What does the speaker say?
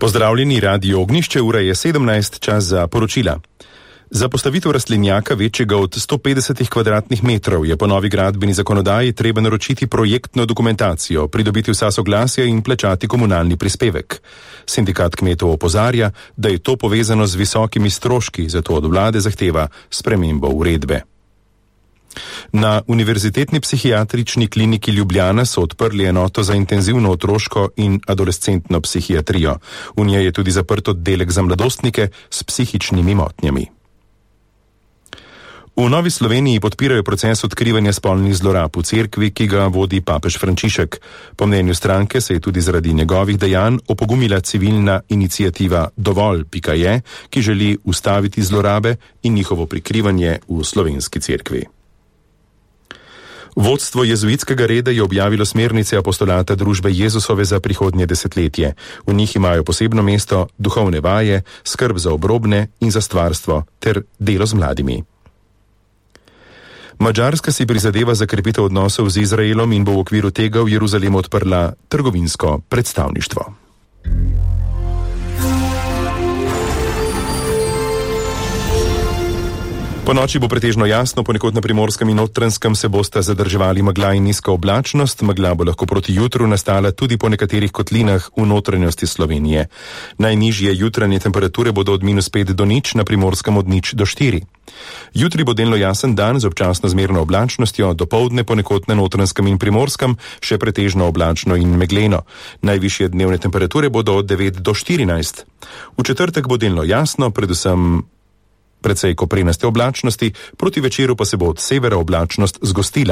Pozdravljeni, Radio Ognjišče, ura je 17, čas za poročila. Za postavitev rastlinjaka večjega od 150 kvadratnih metrov je po novi gradbeni zakonodaji treba naročiti projektno dokumentacijo, pridobiti vsa soglasja in plačati komunalni prispevek. Sindikat kmetov opozarja, da je to povezano z visokimi stroški, zato od vlade zahteva spremembo uredbe. Na Univerzitetni psihiatrični kliniki Ljubljana so odprli enoto za intenzivno otroško in adolescentno psihiatrijo. V njej je tudi zaprt oddelek za mladostnike s psihičnimi motnjami. V Novi Sloveniji podpirajo proces odkrivanja spolnih zlorab v cerkvi, ki ga vodi papež Frančišek. Po mnenju stranke se je tudi zaradi njegovih dejanj opogumila civilna iniciativa Dovolj.je, ki želi ustaviti zlorabe in njihovo prikrivanje v slovenski cerkvi. Vodstvo jezuitskega reda je objavilo smernice apostolata družbe Jezusove za prihodnje desetletje. V njih imajo posebno mesto duhovne vaje, skrb za obrobne in za stvarstvo ter delo z mladimi. Madžarska si prizadeva za krepitev odnosov z Izraelom in bo v okviru tega v Jeruzalemu odprla trgovinsko predstavništvo. Po noči bo pretežno jasno, ponekod na Primorskem in Notranjskem se bosta zadrževali megla in nizka oblačnost. Megla bo lahko proti jutru nastala tudi po nekaterih kotlinah v notranjosti Slovenije. Najnižje jutranje temperature bodo od -5 do 0, na Primorskem od 0 do 4. Jutri bo delno jasen dan z občasno zmerno oblačnostjo, dopoldne ponekod na Notranjskem in Primorskem še pretežno oblačno in megleno. Najvišje dnevne temperature bodo od 9 do 14. V četrtek bo delno jasno, predvsem precej koprenaste oblačnosti, proti večeru pa se bo od severa oblačnost zgostila.